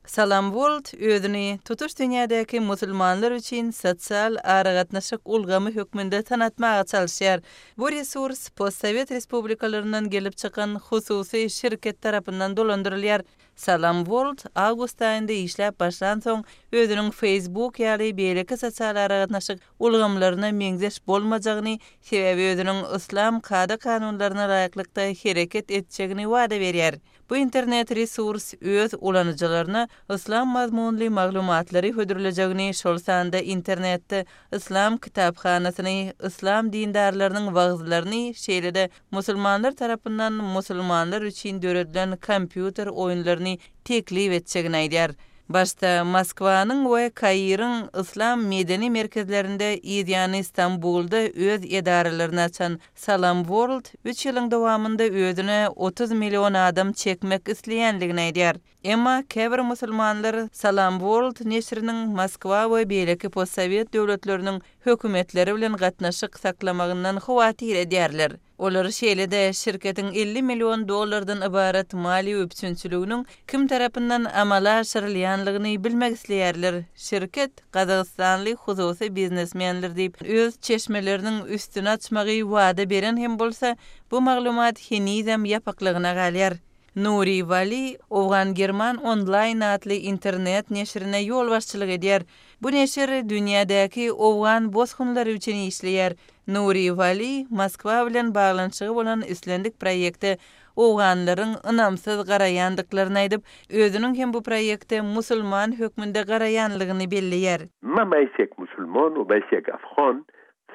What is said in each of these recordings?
Salam World özüni tutuş dünýädäki musulmanlar üçin sosial aragatnaşyk ulgamy hökmünde tanatmaga çalyşýar. Bu resurs postsowet respublikalaryndan gelip çykan hususy şirket tarapyndan dolandyrylýar. Salam World awgust aýynda işläp başlansoň, özüniň Facebook ýaly beýleki sosial aragatnaşyk ulgamlaryna meňzeş bolmajagyny, sebäbi özüniň yslam kada-kanunlaryna laýyklykda hereket etjegini wada berýär. Bu internet resurs öz ulanyjylaryna yslam mazmunly maglumatlary hödürlejegini, şol sanda internetde yslam kitaphanasyny, yslam dindarlarynyň wagyzlaryny, şeýle-de musulmanlar tarapyndan musulmanlar üçin döredilen kompýuter oýunlaryny teklip etjegini aýdýar. Başda Moskwanyň we Kairiň yslam medeni merkezlerinde, yzýany Stambulda öz edaralaryny açan Salam World üç ýylyň dowamynda özüne 30 million adam çekmek isleýänligini aýdýar. Emma käbir musulmanlar Salam World neşiriniň Moskwa we beýleki postsowet döwletleriniň hökümetleri bilen gatnaşyk saklamagyndan howatyr edýärler. Olar şeýle-de şirketiň 50 million dollardan ybarat maliýe üpjünçiliginiň kim tarapyndan amala aşyrylýanlygyny bilmek isleýärler. Şirket gazagystanly hususy biznesmenler diýip, öz çeşmeleriniň üstüni açmagy wada beren hem bolsa, bu maglumat henizem ýapyklygyna galýar. Nuri Wali Owgan-German Onlaýn atly internet neşirine ýolbaşçylyk edýär. Bu neşir dünýädäki owgan bosgunlary üçin işleýär. Nuri Wali Moskwa bilen baglanyşygy bolan islendik proýekte owganlaryň ynamsyz garaýandyklaryny aýdyp, özüniň hem bu proýekte musulman hökmünde garaýanlygyny belleýär. Men bäsek musulman we bäsek afgan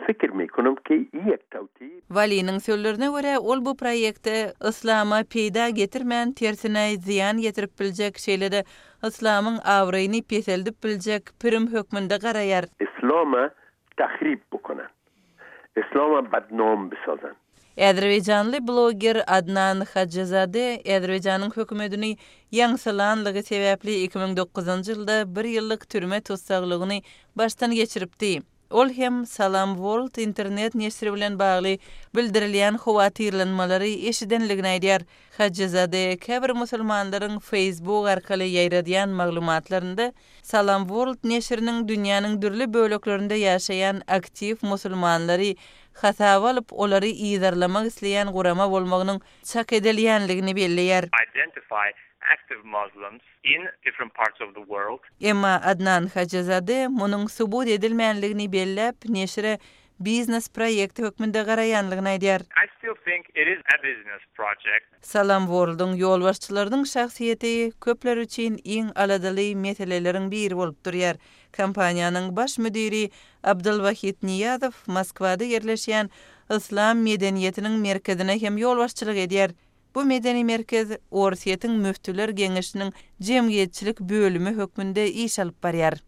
Fikr mekonum ki ýek tawti. Waliniň sözlerine görä, ol bu proýekte yslama peýda getirmän, tersine zyýan getirip biljek, şeýle-de yslamyň abraýyny peseldip biljek pirim hökmünde garaýar. Islama tahrib bukonan. Islama badnom bisazan. Azerbaýjanly bloger Adnan Hajyzade Azerbaýjanyň hökümetini ýaňsylanlygy sebäpli 2009-njy ýylda bir ýyllyk türme tussaglygyny başdan geçiripdi. Ol hem Salam World internet neşiri bilen bagly bildirilýän howatyrlanmalary eşidenligini aýdýar. Hajyzade käbir musulmanlaryň Facebook arkaly ýaýradýan maglumatlarynda Salam World neşiriniň dünýäniň dürli böleklerinde ýaşaýan aktiw musulmanlary hasaba alyp, olary yzarlamak isleýän gurama bolmagynyň çak edilýänligini belleýär. Identify active Muslims in different parts of the world. Emma Adnan Hajyzade munuň subut edilmänligini belläp, neşire biznes proýekti hökmünde garaýanlygyny aýdýar. I still think it is a business project. Salam World-yň ýolbaşçylarynyň şahsyýeti köpler üçin iň aladaly meseleleriň biri bolup durýar. Kompaniýanyň baş müdiri Abdylwahid Nyýazow Moskwada ýerleşýän Yslam medeniýetiniň merkezine hem ýolbaşçylyk edýär. Bu medeni merkez Orsýetiň Müftüler geňeşiniň jemgyýetçilik bölümi hökmünde iş alyp barýar.